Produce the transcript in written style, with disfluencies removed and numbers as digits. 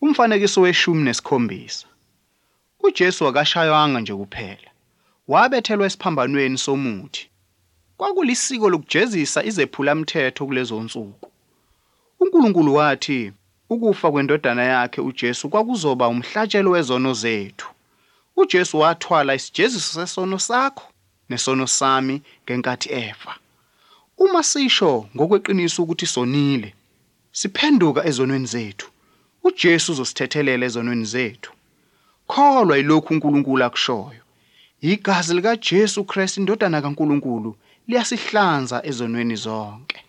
Umfanekiso we-17. UJesu akashaywanga nje kuphela. Wabethelwa esiphambanweni somuthi. Kwakulisiko lokujezisa izephulamthetho kulezonsuku. UNkulunkulu wathi ukufa kwendodana yakhe uJesu kwakuzoba umhlatshelo wezono zethu. UJesu wathwala isijeziso sesono sakho nesono sami ngenkathi efa. Uma sisho ngokweqiniso ukuthi sonile, siphenduka ezonweni zethu, uJesu uzosithethelela ezonweni zethu. Kholwa yilokhu uNkulunkulu akushoyo. Igazi likaJesu Kristu, indodana kaNkulunkulu, liyasihlanza ezonweni zonke.